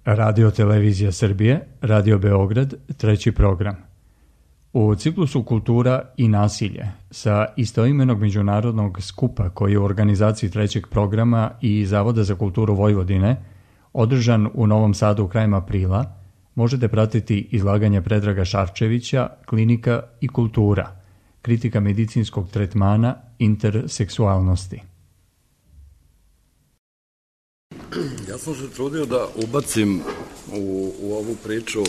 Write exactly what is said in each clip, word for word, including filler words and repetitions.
Radio Televizija Srbije, Radio Beograd, treći program. U ciklusu Kultura i nasilje sa istoimenog međunarodnog skupa koji je u organizaciji trećeg programa i Zavoda za kulturu Vojvodine, održan u Novom Sadu krajem aprila, možete pratiti izlaganje Predraga Šarčevića, Klinika i kultura, kritika medicinskog tretmana interseksualnosti. Ja sam se trudio da ubacim u, u ovu priču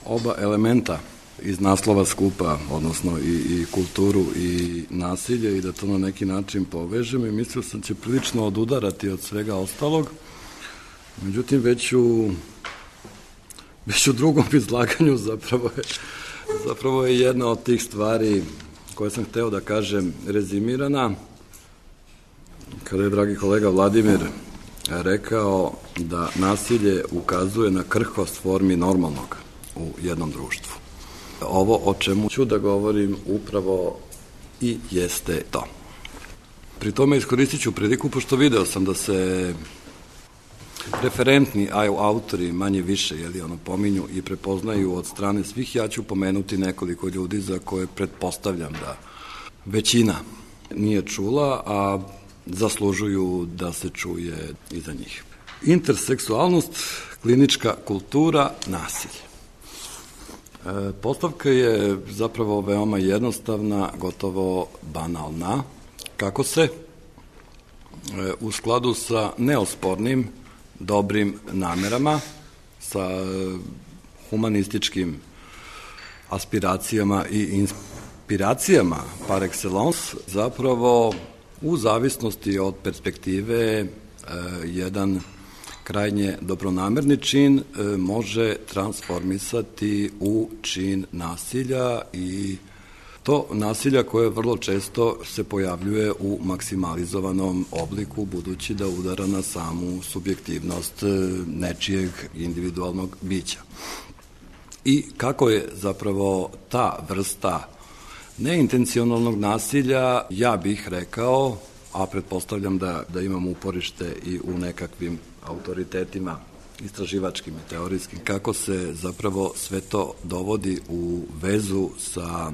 oba elementa iz naslova skupa, odnosno i, i kulturu i nasilje, i da to na neki način povežem, i mislio sam će prilično odudarati od svega ostalog. Međutim, već u, već u drugom izlaganju zapravo je, zapravo je jedna od tih stvari koje sam hteo da kažem rezimirana, kada je dragi kolega Vladimir rekao da nasilje ukazuje na krhkost formi normalnog u jednom društvu. Ovo o čemu ću da govorim upravo i jeste to. Pri tome iskoristit ću priliku, pošto video sam da se referentni autori manje više jeli, ono, pominju i prepoznaju od strane svih. Ja ću pomenuti nekoliko ljudi za koje pretpostavljam da većina nije čula, a zaslužuju da se čuje i za njih. Interseksualnost, klinička kultura, nasilje. E, postavka je zapravo veoma jednostavna, gotovo banalna. Kako se e, u skladu sa neospornim dobrim namerama, sa humanističkim aspiracijama i inspiracijama par excellence, zapravo u zavisnosti od perspektive e, jedan krajnje dobronamerni čin e, može transformisati u čin nasilja, i to nasilja koje vrlo često se pojavljuje u maksimalizovanom obliku, budući da udara na samu subjektivnost nečijeg individualnog bića. I kako je zapravo ta vrsta neintencionalnog nasilja, ja bih rekao, a pretpostavljam da, da imam uporište i u nekakvim autoritetima istraživačkim i teorijskim, kako se zapravo sve to dovodi u vezu sa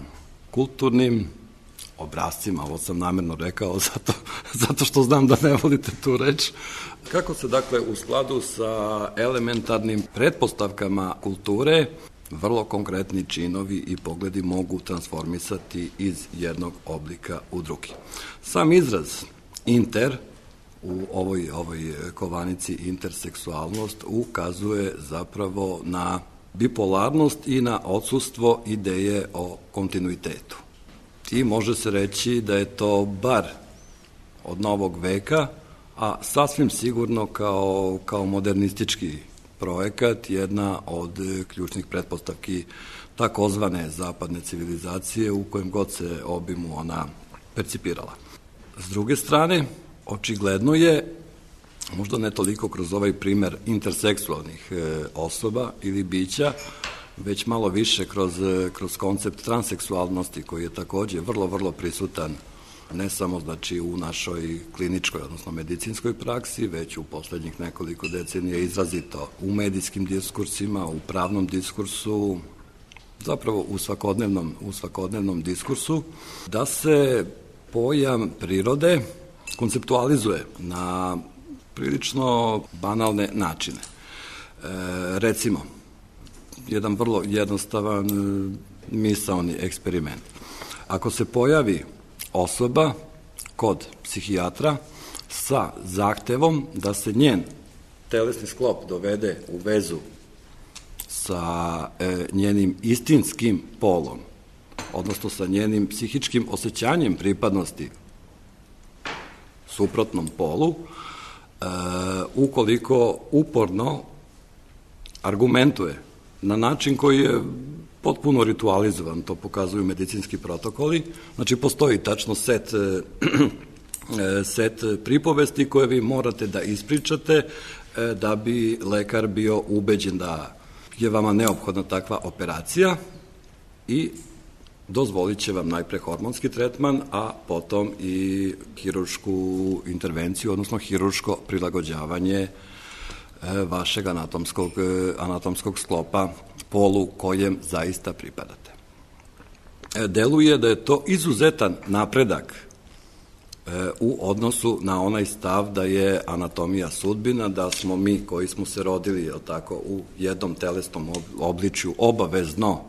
kulturnim obrascima, ovo sam namerno rekao zato, zato što znam da ne volite tu reč, kako se dakle u skladu sa elementarnim pretpostavkama kulture vrlo konkretni činovi i pogledi mogu transformisati iz jednog oblika u drugi. Sam izraz inter u ovoj, ovoj kovanici interseksualnost ukazuje zapravo na bipolarnost i na odsustvo ideje o kontinuitetu. I može se reći da je to bar od novog veka, a sasvim sigurno kao, kao modernistički projekat, jedna od ključnih pretpostavki takozvane zapadne civilizacije u kojem god se obimu ona percipirala. S druge strane, očigledno je, možda ne toliko kroz ovaj primer interseksualnih e, osoba ili bića, već malo više kroz, kroz koncept transseksualnosti, koji je takođe vrlo, vrlo prisutan ne samo znači u našoj kliničkoj, odnosno medicinskoj praksi, već u poslednjih nekoliko decenija izrazito u medijskim diskursima, u pravnom diskursu, zapravo u svakodnevnom, u svakodnevnom diskursu, da se pojam prirode konceptualizuje na prilično banalne načine. E, recimo, jedan vrlo jednostavan misaoni eksperiment. Ako se pojavi osoba kod psihijatra sa zahtevom da se njen telesni sklop dovede u vezu sa e, njenim istinskim polom, odnosno sa njenim psihičkim osjećanjem pripadnosti suprotnom polu, e, ukoliko uporno argumentuje na način koji je potpuno ritualizovan, to pokazuju medicinski protokoli, znači postoji tačno set, set pripovesti koje vi morate da ispričate da bi lekar bio ubeđen da je vama neophodna takva operacija, i dozvolit će vam najpre hormonski tretman, a potom i hiruršku intervenciju, odnosno hirurško prilagođavanje vašeg anatomskog, anatomskog sklopa polu kojem zaista pripadate. Deluje da je to izuzetan napredak u odnosu na onaj stav da je anatomija sudbina, da smo mi koji smo se rodili, jel tako, u jednom telesnom obličju obavezno,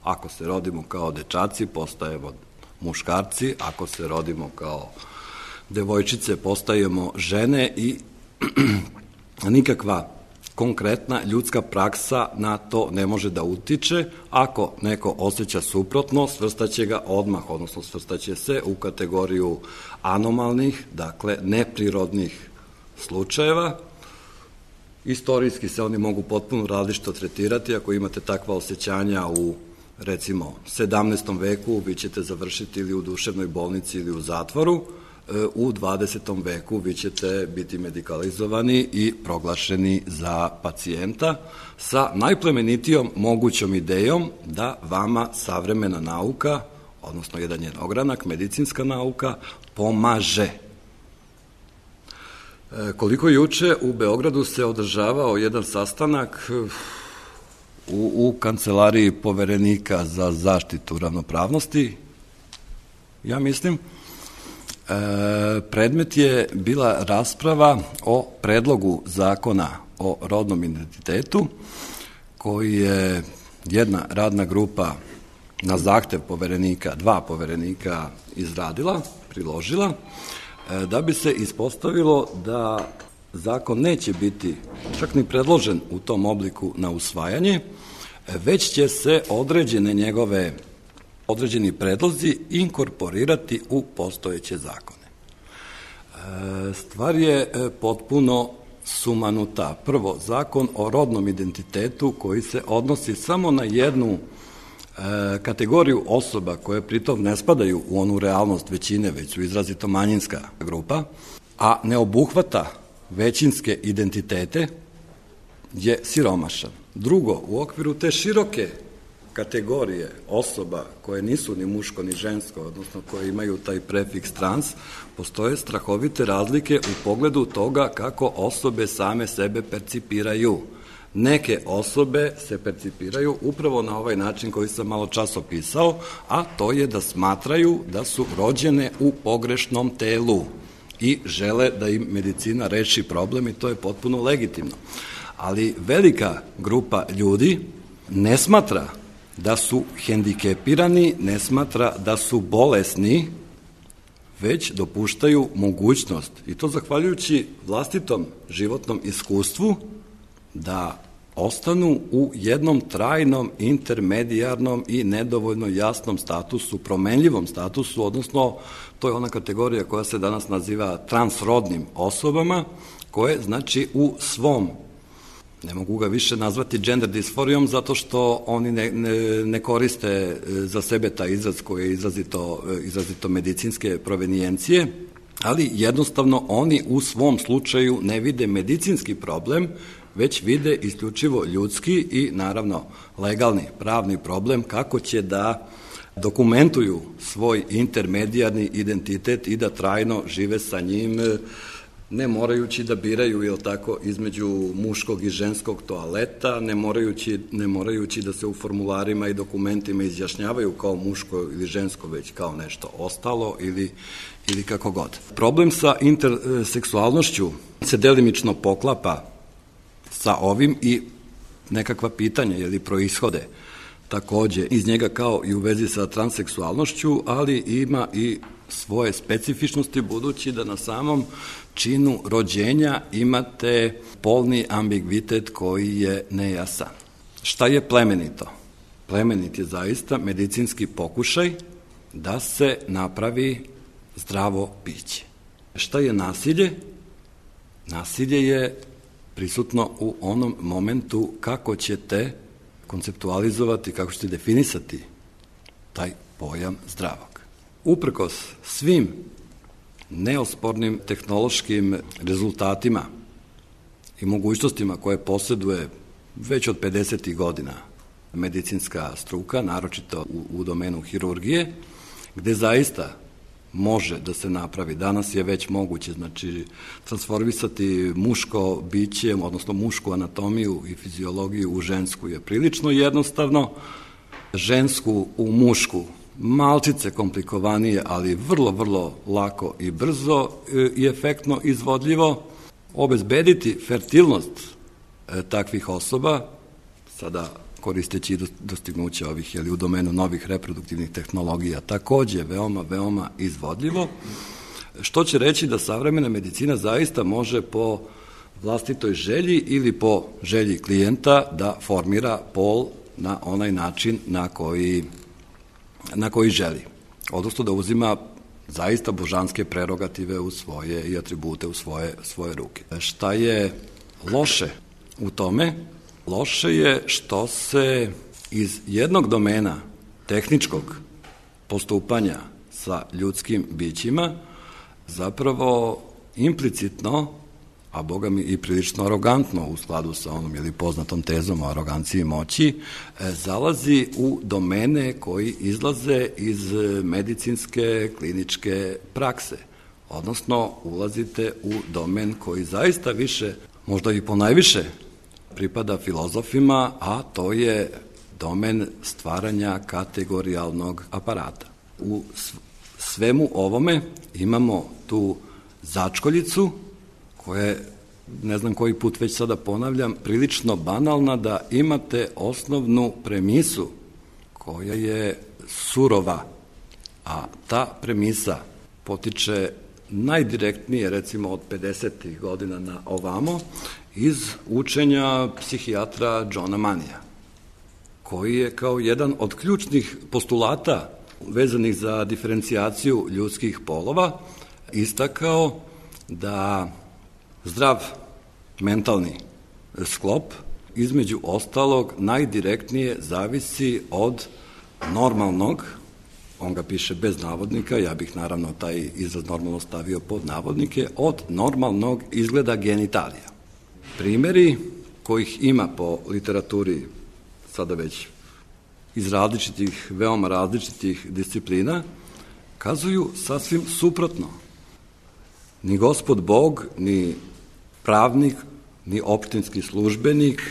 ako se rodimo kao dečaci, postajemo muškarci, ako se rodimo kao devojčice, postajemo žene i nikakva konkretna ljudska praksa na to ne može da utiče. Ako neko osjeća suprotno, svrstaće ga odmah, odnosno svrstaće se u kategoriju anomalnih, dakle neprirodnih slučajeva. Istorijski se oni mogu potpuno različito tretirati. Ako imate takva osjećanja u, recimo, sedamnaestom veku, vi ćete završiti ili u duševnoj bolnici ili u zatvoru. U dvadesetom veku vi ćete biti medikalizovani i proglašeni za pacijenta sa najplemenitijom mogućom idejom da vama savremena nauka, odnosno jedan njen ogranak, medicinska nauka, pomaže. Koliko juče u Beogradu se održavao jedan sastanak u, u kancelariji Poverenika za zaštitu ravnopravnosti, ja mislim, E, predmet je bila rasprava o predlogu zakona o rodnom identitetu koji je jedna radna grupa na zahtev poverenika, dva poverenika izradila, priložila, e, da bi se ispostavilo da zakon neće biti čak ni predložen u tom obliku na usvajanje, već će se određene njegove određeni predlozi inkorporirati u postojeće zakone. Stvar je potpuno sumanuta. Prvo, zakon o rodnom identitetu koji se odnosi samo na jednu kategoriju osoba koje pritom ne spadaju u onu realnost većine, već su izrazito manjinska grupa, a ne obuhvata većinske identitete, je siromašan. Drugo, u okviru te široke kategorije osoba koje nisu ni muško ni žensko, odnosno koje imaju taj prefiks trans, postoje strahovite razlike u pogledu toga kako osobe same sebe percipiraju. Neke osobe se percipiraju upravo na ovaj način koji sam malo čas opisao, a to je da smatraju da su rođene u pogrešnom telu i žele da im medicina reši problem i to je potpuno legitimno. Ali velika grupa ljudi ne smatra da su hendikepirani, ne smatra da su bolesni, već dopuštaju mogućnost, i to zahvaljujući vlastitom životnom iskustvu, da ostanu u jednom trajnom, intermedijarnom i nedovoljno jasnom statusu, promenljivom statusu, odnosno to je ona kategorija koja se danas naziva transrodnim osobama, koje znači u svom, ne mogu ga više nazvati gender disforijom, zato što oni ne, ne, ne koriste za sebe taj izraz koji je izrazito, izrazito medicinske provenijencije, ali jednostavno oni u svom slučaju ne vide medicinski problem, već vide isključivo ljudski i naravno legalni, pravni problem kako će da dokumentuju svoj intermedijarni identitet i da trajno žive sa njim, ne morajući da biraju, jel tako, između muškog i ženskog toaleta, ne morajući, ne morajući da se u formularima i dokumentima izjašnjavaju kao muško ili žensko, već kao nešto ostalo ili, ili kako god. Problem sa interseksualnošću se delimično poklapa sa ovim i nekakva pitanja ili proishode takođe iz njega kao i u vezi sa transseksualnošću, ali ima i svoje specifičnosti budući da na samom činu rođenja imate polni ambigvitet koji je nejasan. Šta je plemenito? Plemenit je zaista medicinski pokušaj da se napravi zdravo biće. Šta je nasilje? Nasilje je prisutno u onom momentu kako ćete konceptualizovati, kako ćete definisati taj pojam zdravog. Uprkos svim neospornim tehnološkim rezultatima i mogućnostima koje posjeduje već od pedesetih godina medicinska struka, naročito u, u domenu hirurgije, gde zaista može da se napravi. Danas je već moguće, znači, transformisati muško biće, odnosno mušku anatomiju i fiziologiju u žensku je prilično jednostavno, žensku u mušku malčice komplikovanije, ali vrlo, vrlo lako i brzo i efektno izvodljivo. Obezbediti fertilnost e, takvih osoba, sada koristeći dostignuće ovih, jeli, u domenu novih reproduktivnih tehnologija, takođe veoma, veoma izvodljivo, što će reći da savremena medicina zaista može po vlastitoj želji ili po želji klijenta da formira pol na onaj način na koji, na koji želi. Odnosno da uzima zaista božanske prerogative u svoje i atribute u svoje, svoje ruke. Šta je loše u tome? Loše je što se iz jednog domena tehničkog postupanja sa ljudskim bićima zapravo implicitno, a boga mi i prilično arogantno u skladu sa onom ili poznatom tezom o aroganciji moći, zalazi u domene koji izlaze iz medicinske kliničke prakse. Odnosno, ulazite u domen koji zaista više, možda i ponajviše, pripada filozofima, a to je domen stvaranja kategorijalnog aparata. U svemu ovome imamo tu začkoljicu, koja je, ne znam koji put već sada ponavljam, prilično banalna, da imate osnovnu premisu koja je surova, a ta premisa potiče najdirektnije, recimo od pedesetih godina na ovamo, iz učenja psihijatra Johna Manija, koji je kao jedan od ključnih postulata vezanih za diferencijaciju ljudskih polova istakao da zdrav mentalni sklop između ostalog najdirektnije zavisi od normalnog, on ga piše bez navodnika, ja bih naravno taj izraz normalno stavio pod navodnike, od normalnog izgleda genitalija. Primeri kojih ima po literaturi sada već iz različitih, veoma različitih disciplina, kazuju sasvim suprotno. Ni Gospod Bog, ni pravnik, ni opštinski službenik,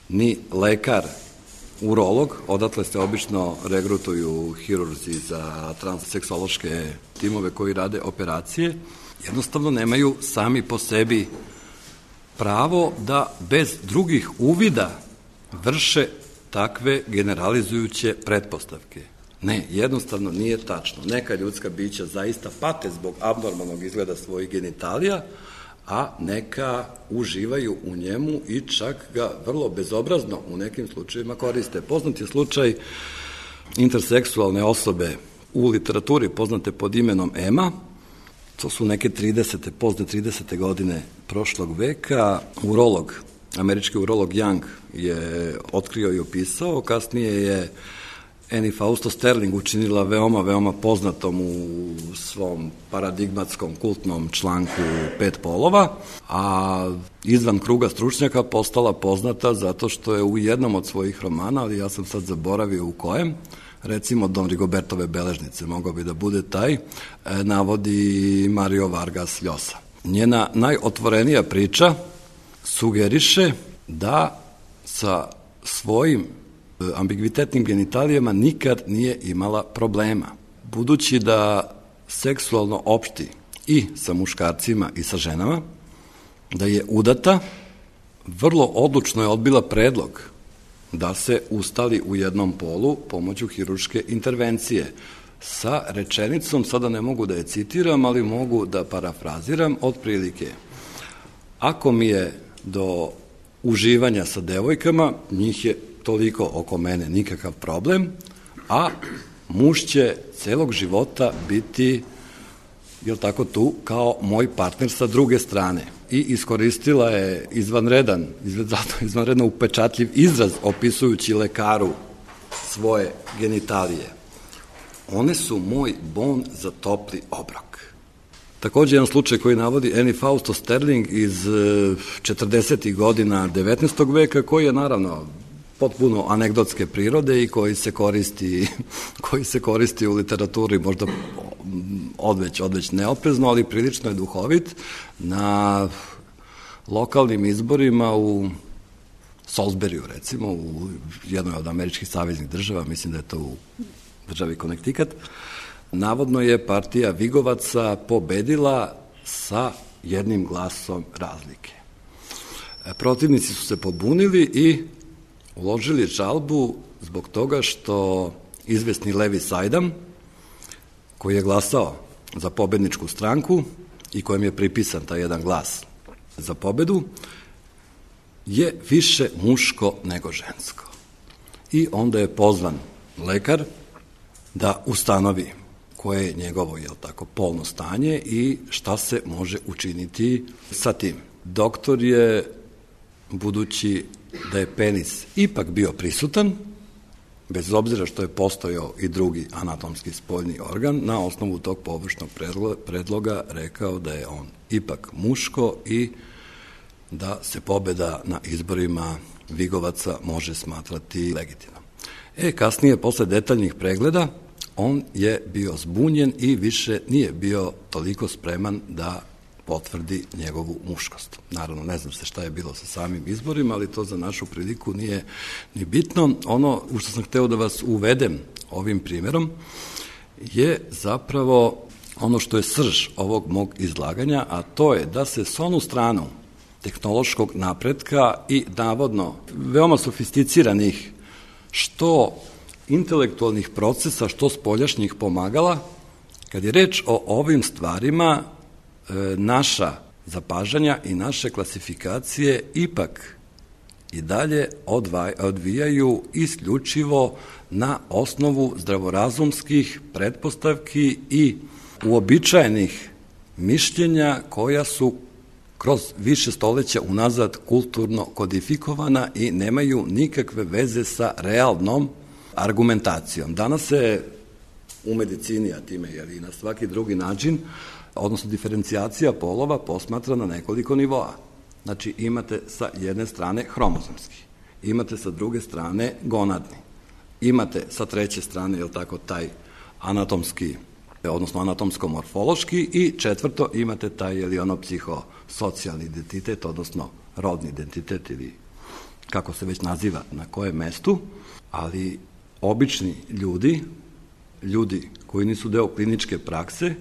ni lekar, urolog, odatle se obično regrutuju hirurzi za transseksološke timove koji rade operacije, jednostavno nemaju sami po sebi pravo da bez drugih uvida vrše takve generalizujuće pretpostavke. Ne, jednostavno nije tačno. Neka ljudska bića zaista pate zbog abnormalnog izgleda svojih genitalija, a neka uživaju u njemu i čak ga vrlo bezobrazno u nekim slučajevima koriste. Poznat je slučaj interseksualne osobe u literaturi poznate pod imenom Ema. To su neke tridesete, pozne tridesete godine prošlog veka. Urolog, američki urolog Young je otkrio i opisao, kasnije je Annie Fausto Sterling učinila veoma, veoma poznatom u svom paradigmatskom kultnom članku Pet polova, a izvan kruga stručnjaka postala poznata zato što je u jednom od svojih romana, ali ja sam sad zaboravio u kojem, recimo Don Rigobertove beležnice, mogao bi da bude taj, navodi Mario Vargas Llosa. Njena najotvorenija priča sugeriše da sa svojim ambigvitetnim genitalijama nikad nije imala problema. Budući da seksualno opšti i sa muškarcima i sa ženama, da je udata, vrlo odlučno je odbila predlog da se ustali u jednom polu pomoću hirurške intervencije sa rečenicom, sada ne mogu da je citiram, ali mogu da parafraziram otprilike. Ako mi je do uživanja sa devojkama, njih je toliko oko mene, nikakav problem, a muž će celog života biti, jel tako, tu kao moj partner sa druge strane. I iskoristila je izvanredan, izvanredno upečatljiv izraz opisujući lekaru svoje genitalije. One su moj bon za topli obrok. Takođe, jedan slučaj koji navodi Annie Fausto Sterling iz četrdesetih godina devetnaestog veka, koji je naravno potpuno anegdotske prirode i koji se koristi, koji se koristi u literaturi možda odveć, odveć neoprezno, ali prilično je duhovit. Na lokalnim izborima u Salisburyu, recimo, u jednoj od američkih saveznih država, mislim da je to u državi Connecticut, navodno je partija Vigovaca pobedila sa jednim glasom razlike. Protivnici su se pobunili i uložili žalbu zbog toga što izvesni Levi Sajdam, koji je glasao za pobedničku stranku i kojem je pripisan taj jedan glas za pobedu, je više muško nego žensko. I onda je pozvan lekar da ustanovi koje je njegovo, jel tako, polno stanje i šta se može učiniti sa tim. Doktor je, budući da je penis ipak bio prisutan, bez obzira što je postojao i drugi anatomski spoljni organ, na osnovu tog površnog predloga rekao da je on ipak muško i da se pobeda na izborima Vigovaca može smatrati legitimnom. E, kasnije, posle detaljnih pregleda, on je bio zbunjen i više nije bio toliko spreman da potvrdi njegovu muškost. Naravno, ne znam se šta je bilo sa samim izborima, ali to za našu priliku nije ni bitno. Ono u što sam hteo da vas uvedem ovim primjerom je zapravo ono što je srž ovog mog izlaganja, a to je da se s onu stranu tehnološkog napretka i navodno veoma sofisticiranih što intelektualnih procesa, što spoljašnjih pomagala, kad je reč o ovim stvarima, naša zapažanja i naše klasifikacije ipak i dalje odvijaju isključivo na osnovu zdravorazumskih pretpostavki i uobičajenih mišljenja koja su kroz više stoleća unazad kulturno kodifikovana i nemaju nikakve veze sa realnom argumentacijom. Danas se u medicini, a time je i na svaki drugi način, odnosno diferencijacija polova posmatra na nekoliko nivoa. Znači, imate sa jedne strane hromozomski, imate sa druge strane gonadni, imate sa treće strane, jel tako, taj anatomski, odnosno anatomsko-morfološki i četvrto imate taj ili ono psihosocijalni identitet, odnosno rodni identitet ili kako se već naziva na kojem mestu, ali obični ljudi, ljudi koji nisu deo kliničke prakse,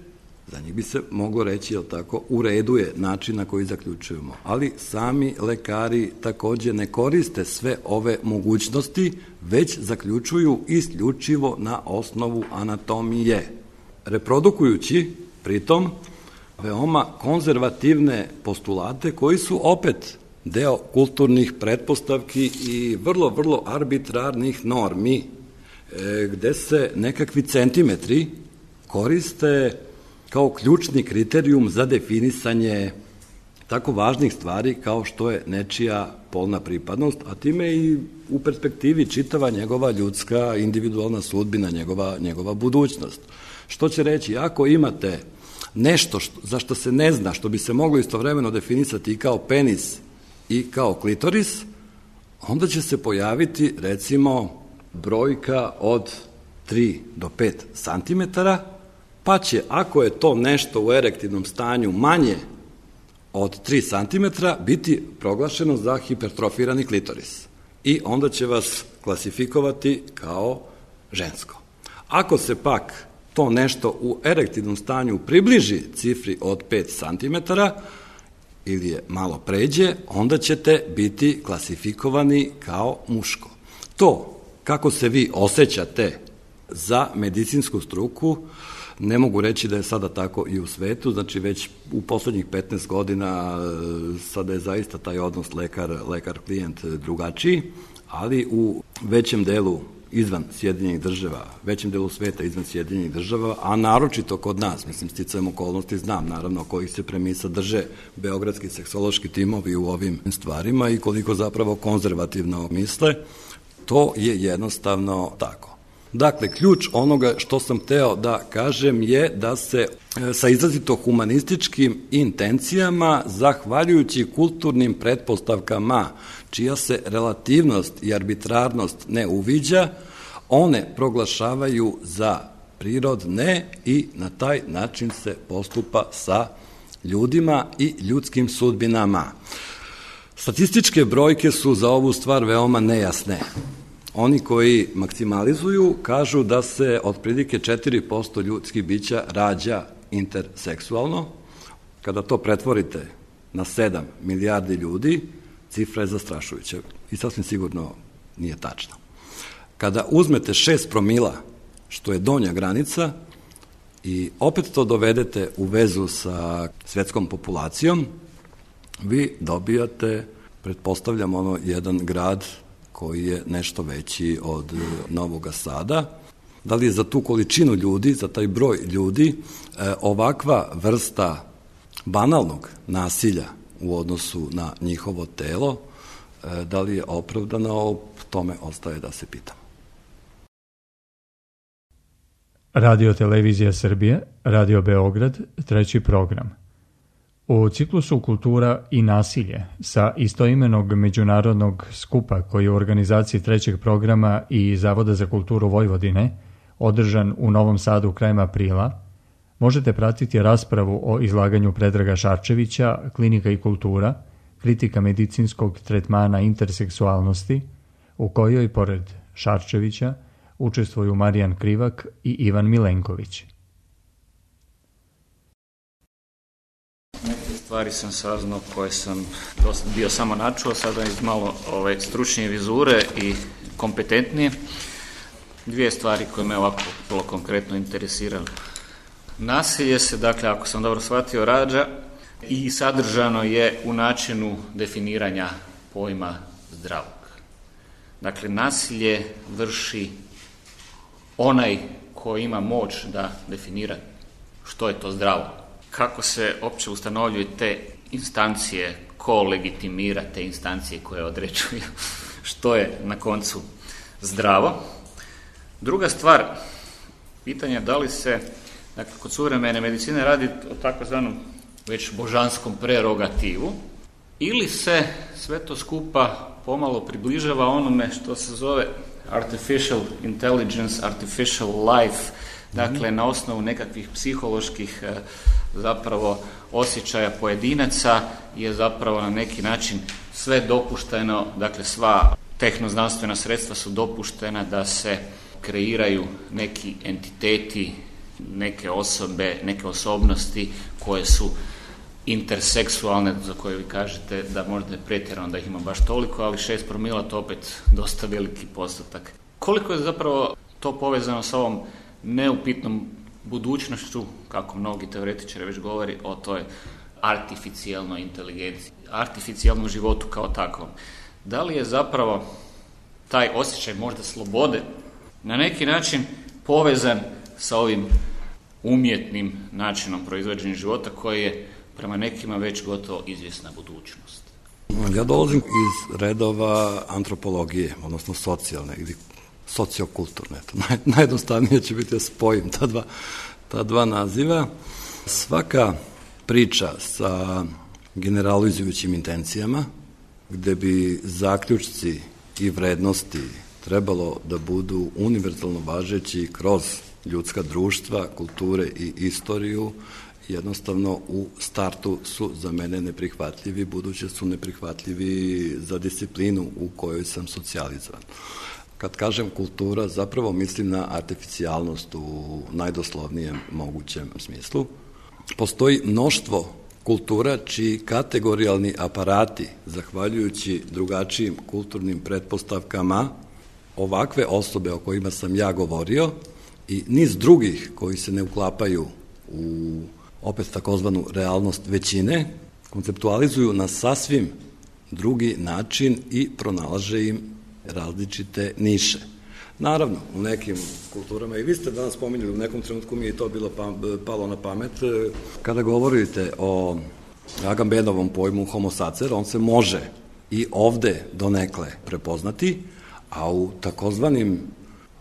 za njih bi se moglo reći, jel tako, u redu je način na koji zaključujemo. Ali sami lekari takođe ne koriste sve ove mogućnosti, već zaključuju isključivo na osnovu anatomije. Reprodukujući, pritom, veoma konzervativne postulate koji su opet deo kulturnih pretpostavki i vrlo, vrlo arbitrarnih normi, gde se nekakvi centimetri koriste kao ključni kriterijum za definisanje tako važnih stvari kao što je nečija polna pripadnost, a time i u perspektivi čitava njegova ljudska individualna sudbina, njegova, njegova budućnost. Što će reći, ako imate nešto što, za što se ne zna, što bi se moglo istovremeno definisati i kao penis i kao klitoris, onda će se pojaviti, recimo, brojka od tri do pet santimetara, pa će, ako je to nešto u erektivnom stanju manje od tri santimetra, biti proglašeno za hipertrofirani klitoris. I onda će vas klasifikovati kao žensko. Ako se pak to nešto u erektivnom stanju približi cifri od pet santimetara ili je malo pređe, onda ćete biti klasifikovani kao muško. To, kako se vi osjećate za medicinsku struku, ne mogu reći da je sada tako i u svetu, znači već u poslednjih petnaest godina sada je zaista taj odnos lekar, lekar-klijent drugačiji, ali u većem delu izvan Sjedinjenih država, većem delu sveta izvan Sjedinjenih država, a naročito kod nas, mislim, sticajem okolnosti znam, naravno, kojih se premisa drže beogradski seksološki timovi u ovim stvarima i koliko zapravo konzervativno misle, to je jednostavno tako. Dakle, ključ onoga što sam hteo da kažem je da se sa izrazito humanističkim intencijama, zahvaljujući kulturnim pretpostavkama, čija se relativnost i arbitrarnost ne uviđa, one proglašavaju za prirodne i na taj način se postupa sa ljudima i ljudskim sudbinama. Statističke brojke su za ovu stvar veoma nejasne. Oni koji maksimalizuju kažu da se otprilike četiri posto ljudskih bića rađa interseksualno. Kada to pretvorite na sedam milijardi ljudi, cifra je zastrašujuća i sasvim sigurno nije tačna. Kada uzmete šest promila, što je donja granica, i opet to dovedete u vezu sa svetskom populacijom, vi dobijate, pretpostavljam, ono jedan grad koji je nešto veći od Novog Sada. Da li je za tu količinu ljudi, za taj broj ljudi, ovakva vrsta banalnog nasilja u odnosu na njihovo telo, da li je opravdana, o tome ostaje da se pitamo. Radio Televizija Srbije, Radio Beograd, treći program. U ciklusu Kultura i nasilje sa istoimenog međunarodnog skupa koji je u organizaciji trećeg programa i Zavoda za kulturu Vojvodine, održan u Novom Sadu krajem aprila, možete pratiti raspravu o izlaganju Predraga Šarčevića, Klinika i kultura, kritika medicinskog tretmana interseksualnosti, u kojoj, pored Šarčevića, učestvuju Marijan Krivak i Ivan Milenković. Neke stvari sam saznao koje sam bio samo načuo, sada iz malo ove, stručnije vizure i kompetentnije. Dvije stvari koje me ovako vrlo konkretno interesirali. Nasilje se, dakle, ako sam dobro shvatio, rađa i sadržano je u načinu definiranja pojma zdravog. Dakle, nasilje vrši onaj ko ima moć da definira što je to zdravo. Kako se opće ustanovljuju te instancije, ko legitimira te instancije koje određuju što je na koncu zdravo. Druga stvar, pitanje da li se, dakle, kod suvremene medicine radi o takozvanom već božanskom prerogativu, ili se sve to skupa pomalo približava onome što se zove artificial intelligence, artificial life, dakle na osnovu nekakvih psiholoških zapravo osjećaja pojedinaca je zapravo na neki način sve dopušteno, dakle sva tehnoznanstvena sredstva su dopuštena da se kreiraju neki entiteti, neke osobe, neke osobnosti koje su interseksualne, za koje vi kažete da možda je pretjerano da ih ima baš toliko, ali šest promila to opet dosta veliki postotak. Koliko je zapravo to povezano sa ovom neupitnom budućnošću, kako mnogi teoretičari već govori o toj artificijalnoj inteligenciji, artificijalnom životu kao takvom. Da li je zapravo taj osjećaj možda slobode na neki način povezan sa ovim umjetnim načinom proizvođenja života koji je prema nekima već gotovo izvjesna budućnost? Ja dolazim iz redova antropologije, odnosno socijalne ili sociokulturne. Naj, najjednostavnije će biti da spojim ta dva, ta dva naziva. Svaka priča sa generalizujućim intencijama, gde bi zaključci i vrednosti trebalo da budu univerzalno važeći kroz ljudska društva, kulture i istoriju, jednostavno u startu su za mene neprihvatljivi, budući su neprihvatljivi za disciplinu u kojoj sam socijalizovan. Kad kažem kultura, zapravo mislim na artificijalnost u najdoslovnijem mogućem smislu. Postoji mnoštvo kultura čiji kategorijalni aparati, zahvaljujući drugačijim kulturnim pretpostavkama, ovakve osobe o kojima sam ja govorio i niz drugih koji se ne uklapaju u opet takozvanu realnost većine, konceptualizuju na sasvim drugi način i pronalaže im različite niše. Naravno, u nekim kulturama, i vi ste danas spominjali, u nekom trenutku mi je to bilo pa, palo na pamet, kada govorite o Agambenovom pojmu homo sacer, on se može i ovde donekle prepoznati, a u takozvanim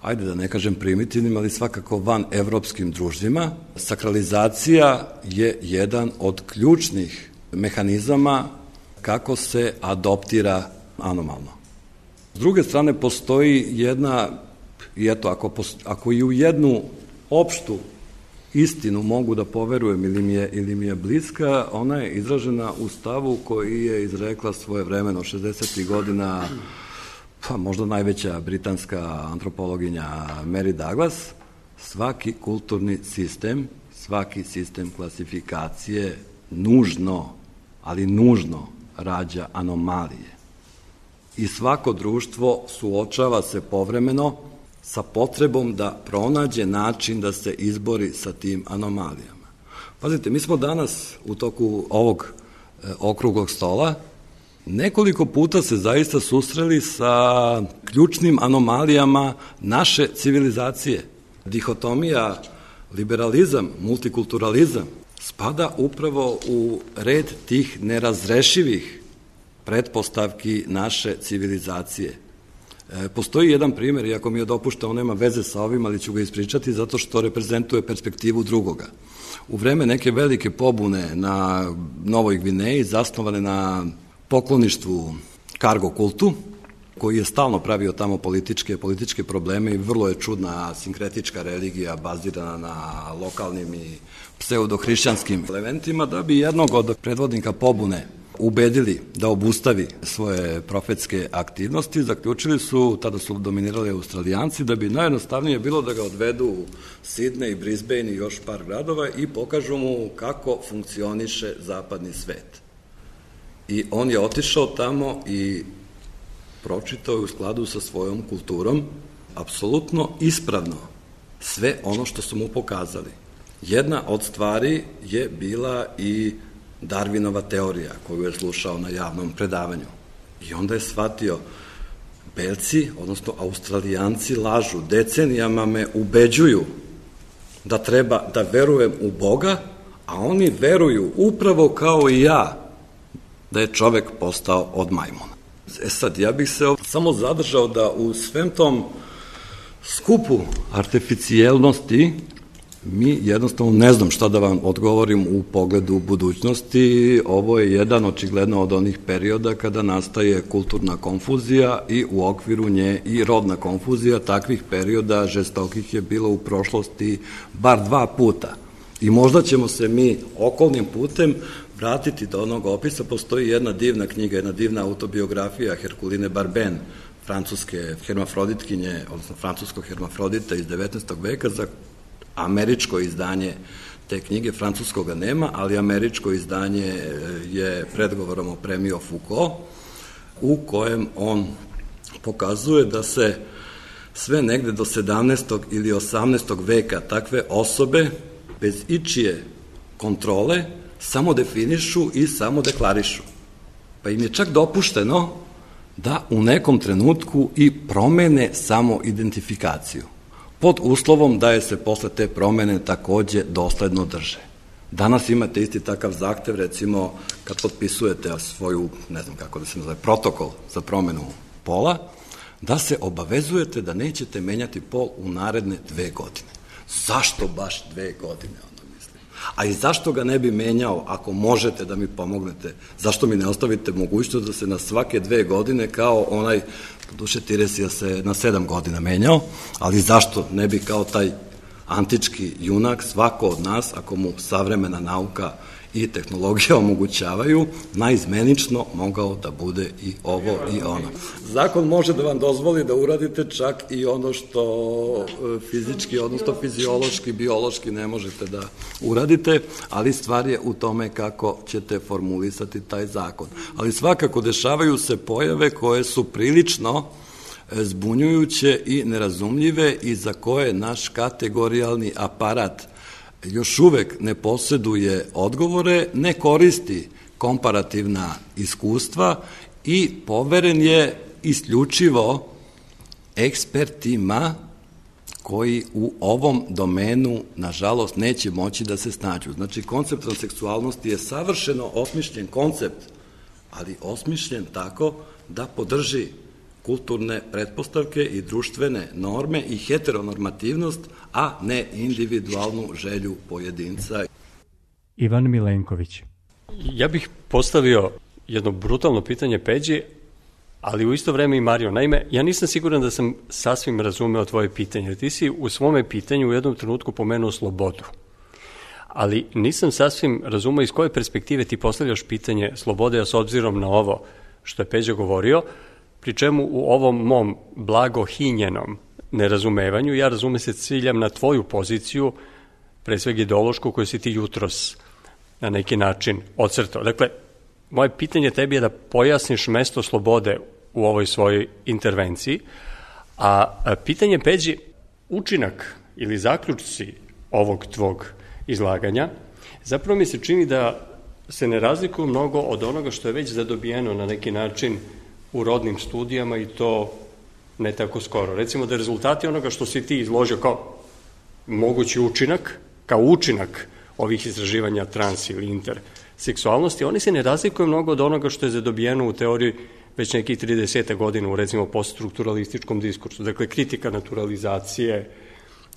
ajde da ne kažem primitivnim, ali svakako van evropskim društvima. Sakralizacija je jedan od ključnih mehanizama kako se adoptira anomalno. S druge strane, postoji jedna, i eto, ako, ako i u jednu opštu istinu mogu da poverujem ili mi je, ili mi je bliska, ona je izražena u stavu koji je izrekla svoje vremeno šezdesetih godina, pa možda najveća britanska antropologinja Mary Douglas. Svaki kulturni sistem, svaki sistem klasifikacije nužno, ali nužno rađa anomalije. I svako društvo suočava se povremeno sa potrebom da pronađe način da se izbori sa tim anomalijama. Pazite, mi smo danas u toku ovog e, okruglog stola nekoliko puta se zaista susreli sa ključnim anomalijama naše civilizacije. Dihotomija liberalizam, multikulturalizam spada upravo u red tih nerazrešivih pretpostavki naše civilizacije. E, postoji jedan primjer, iako mi je dopuštao, on nema veze sa ovim, ali ću ga ispričati zato što reprezentuje perspektivu drugoga. U vreme neke velike pobune na Novoj Gvineji, zasnovane na pokloništvu kargo kultu, koji je stalno pravio tamo političke, političke probleme i vrlo je čudna sinkretička religija bazirana na lokalnim i pseudohrišćanskim elementima, da bi jednog od predvodnika pobune ubedili da obustavi svoje profetske aktivnosti, zaključili su, tada su dominirali Australijanci, da bi najjednostavnije bilo da ga odvedu u Sidney i Brisbane i još par gradova i pokažu mu kako funkcioniše zapadni svet. I on je otišao tamo i pročitao je u skladu sa svojom kulturom apsolutno ispravno sve ono što su mu pokazali. Jedna od stvari je bila i Darwinova teorija koju je slušao na javnom predavanju. I onda je shvatio, Belci, odnosno Australijanci lažu, decenijama me ubeđuju da treba da verujem u Boga, a oni veruju upravo kao i ja da je čovek postao od majmuna. E sad, ja bih se samo zadržao da u svem tom skupu artificijelnosti mi jednostavno ne znam šta da vam odgovorim u pogledu budućnosti. Ovo je jedan očigledno od onih perioda kada nastaje kulturna konfuzija i u okviru nje i rodna konfuzija. Takvih perioda žestokih je bilo u prošlosti bar dva puta. I možda ćemo se mi okolnim putem vratiti do onog opisa. Postoji jedna divna knjiga, jedna divna autobiografija Herkuline Barben, francuske hermafroditkinje, odnosno francuskog hermafrodita iz devetnaestog veka, za američko izdanje te knjige, francuskoga nema, ali američko izdanje je predgovorom opremio Foucault, u kojem on pokazuje da se sve negde do sedamnaestog ili osamnaestog veka takve osobe bez ičije kontrole samo definišu i samo deklarišu. Pa im je čak dopušteno da u nekom trenutku i promene samo identifikaciju, pod uslovom da je se posle te promene takođe dosledno drže. Danas imate isti takav zahtev, recimo, kad potpisujete svoju, ne znam kako da se nazove, protokol za promenu pola, da se obavezujete da nećete menjati pol u naredne dve godine. Zašto baš dve godine, onda mislim? A i zašto ga ne bi menjao ako možete da mi pomognete? Zašto mi ne ostavite mogućnost da se na svake dve godine kao onaj, duše Tiresija se na sedam godina menjao, ali zašto ne bi kao taj antički junak, svako od nas, ako mu savremena nauka i tehnologija omogućavaju, naizmenično mogao da bude i ovo i ono. Zakon može da vam dozvoli da uradite čak i ono što fizički, odnosno fiziološki, biološki ne možete da uradite, ali stvar je u tome kako ćete formulisati taj zakon. Ali svakako dešavaju se pojave koje su prilično zbunjujuće i nerazumljive i za koje naš kategorijalni aparat još uvek ne posjeduje odgovore, ne koristi komparativna iskustva i poveren je isključivo ekspertima koji u ovom domenu, nažalost, neće moći da se snađu. Znači, koncept transseksualnosti je savršeno osmišljen koncept, ali osmišljen tako da podrži kulturne pretpostavke i društvene norme i heteronormativnost, a ne individualnu želju pojedinca. Ivan Milenković. Ja bih postavio jedno brutalno pitanje Peđi, ali u isto vreme i Mario. Naime, ja nisam siguran da sam sasvim razumeo tvoje pitanje. Ti si u svome pitanju u jednom trenutku pomenuo slobodu. Ali nisam sasvim razumeo iz koje perspektive ti postavljaš pitanje slobode, a s obzirom na ovo što je Peđa govorio, pri čemu u ovom mom blago hinjenom nerazumevanju, ja razume se ciljam na tvoju poziciju, pre svega ideološku, koju si ti jutros na neki način ocrtao. Dakle, moje pitanje tebi je da pojasniš mesto slobode u ovoj svojoj intervenciji, a pitanje Peđi, učinak ili zaključci ovog tvog izlaganja, zapravo mi se čini da se ne razlikuju mnogo od onoga što je već zadobijeno na neki način u rodnim studijama i to ne tako skoro. Recimo da rezultati onoga što si ti izložio kao mogući učinak, kao učinak ovih istraživanja trans ili interseksualnosti, oni se ne razlikuju mnogo od onoga što je zadobijeno u teoriji već nekih trideset godina u recimo poststrukturalističkom diskursu. Dakle, kritika naturalizacije,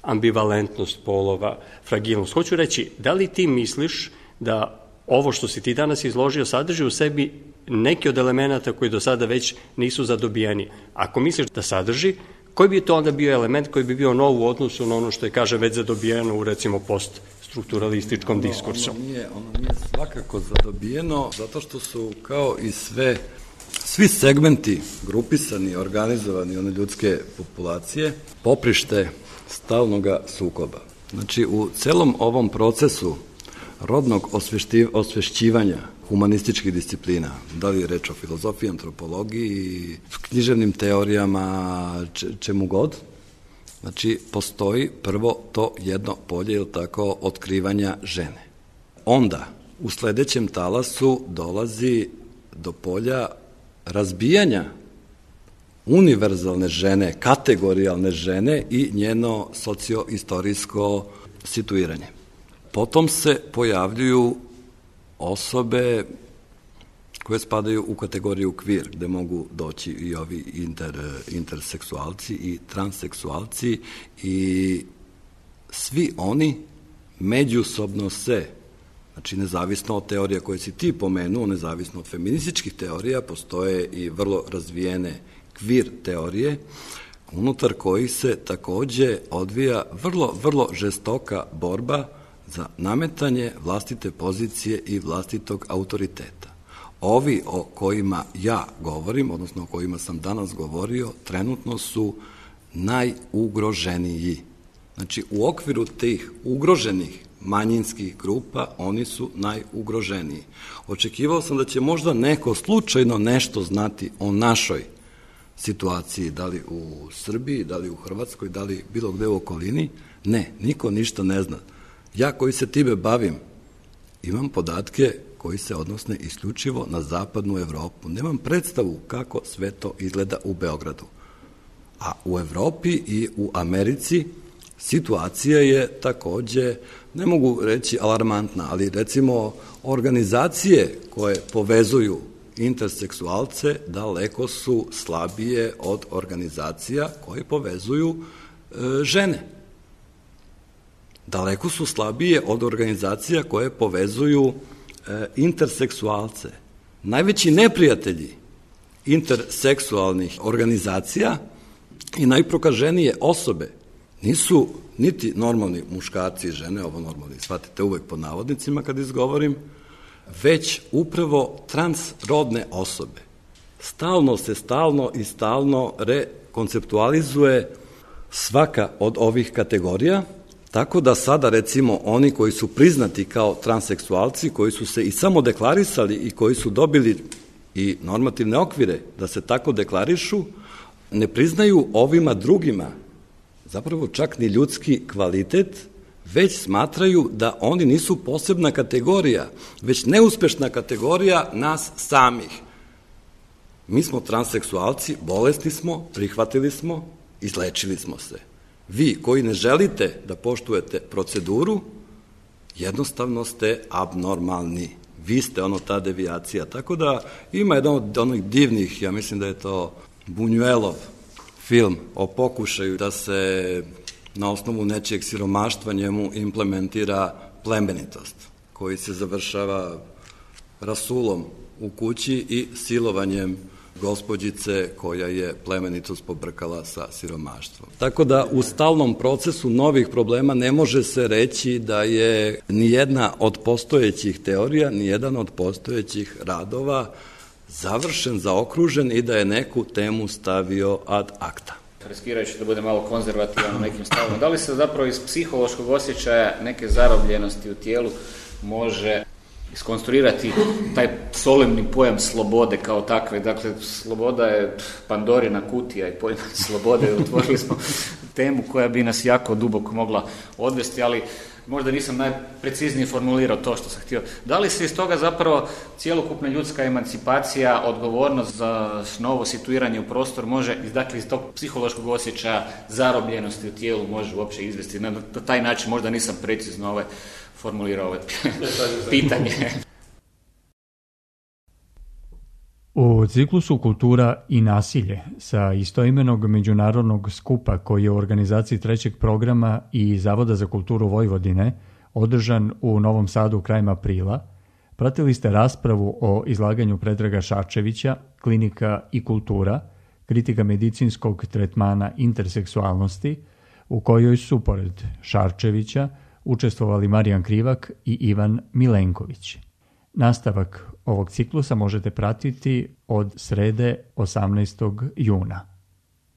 ambivalentnost polova, fragilnost. Hoću reći, da li ti misliš da ovo što si ti danas izložio sadrži u sebi neki od elemenata koji do sada već nisu zadobijeni? Ako misliš da sadrži, koji bi to onda bio element koji bi bio nov u odnosu na ono što je, kaže, već zadobijeno u recimo poststrukturalističkom diskursu? Ono nije, ono nije svakako zadobijeno, zato što su kao i sve, svi segmenti grupisani, organizovani, one ljudske populacije, poprište stalnog sukoba. Znači, u celom ovom procesu rodnog osvešćivanja humanističkih disciplina, da li je reč o filozofiji, antropologiji, književnim teorijama, čemu god, znači, postoji prvo to jedno polje, ili tako, otkrivanja žene. Onda, u sledećem talasu dolazi do polja razbijanja univerzalne žene, kategorijalne žene i njeno socioistorijsko situiranje. Potom se pojavljuju osobe koje spadaju u kategoriju queer, gde mogu doći i ovi inter, interseksualci i transseksualci i svi oni međusobno se, znači nezavisno od teorija koje si ti pomenuo, nezavisno od feminističkih teorija, postoje i vrlo razvijene queer teorije, unutar kojih se takođe odvija vrlo, vrlo žestoka borba za nametanje vlastite pozicije i vlastitog autoriteta. Ovi o kojima ja govorim, odnosno o kojima sam danas govorio, trenutno su najugroženiji. Znači, u okviru tih ugroženih manjinskih grupa, oni su najugroženiji. Očekivao sam da će možda neko slučajno nešto znati o našoj situaciji, da li u Srbiji, da li u Hrvatskoj, da li bilo gde u okolini. Ne, niko ništa ne zna. Ja koji se time bavim, imam podatke koji se odnosne isključivo na zapadnu Evropu. Nemam predstavu kako sve to izgleda u Beogradu. A u Evropi i u Americi situacija je takođe, ne mogu reći alarmantna, ali recimo organizacije koje povezuju interseksualce daleko su slabije od organizacija koje povezuju e, žene. Daleko su slabije od organizacija koje povezuju e, interseksualce. Najveći neprijatelji interseksualnih organizacija i najprokaženije osobe nisu niti normalni muškarci i žene, ovo normalni, shvatite uvek pod navodnicima kad izgovorim, već upravo transrodne osobe. Stalno se, stalno i stalno rekonceptualizuje svaka od ovih kategorija, tako da sada recimo oni koji su priznati kao transseksualci, koji su se i samo deklarisali i koji su dobili i normativne okvire da se tako deklarišu, ne priznaju ovima drugima zapravo čak ni ljudski kvalitet, već smatraju da oni nisu posebna kategorija, već neuspešna kategorija nas samih. Mi smo transseksualci, bolesni smo, prihvatili smo, izlečili smo se. Vi koji ne želite da poštujete proceduru, jednostavno ste abnormalni. Vi ste ono ta devijacija. Tako da ima jedan od onih divnih, ja mislim da je to Buñuelov film o pokušaju da se na osnovu nečijeg siromaštva njemu implementira plemenitost, koji se završava rasulom u kući i silovanjem gospođice koja je plemenitost pobrkala sa siromaštvom. Tako da u stalnom procesu novih problema ne može se reći da je nijedna od postojećih teorija, nijedan od postojećih radova završen, zaokružen i da je neku temu stavio ad acta. Riskirajući da bude malo konzervativan u nekim stavima, da li se zapravo iz psihološkog osjećaja neke zarobljenosti u tijelu može iskonstruirati taj solemni pojam slobode kao takve? Dakle, sloboda je Pandorina kutija i pojam slobode. Otvorili smo temu koja bi nas jako duboko mogla odvesti, ali možda nisam najpreciznije formulirao to što sam htio. Da li se iz toga zapravo cjelokupna ljudska emancipacija, odgovornost za novo situiranje u prostor može, dakle iz tog psihološkog osjećaja zarobljenosti u tijelu može uopće izvesti? Na taj način možda nisam precizno ovaj formulirao ovo pitanje. U ciklusu Kultura i nasilje sa istoimenog međunarodnog skupa koji je u organizaciji trećeg programa i Zavoda za kulturu Vojvodine održan u Novom Sadu krajem aprila, pratili ste raspravu o izlaganju Predraga Šarčevića, Klinika i kultura, kritika medicinskog tretmana interseksualnosti, u kojoj su, pored Šarčevića, učestvovali Marijan Krivak i Ivan Milenković. Nastavak ovog ciklusa možete pratiti od srede osamnaestog juna.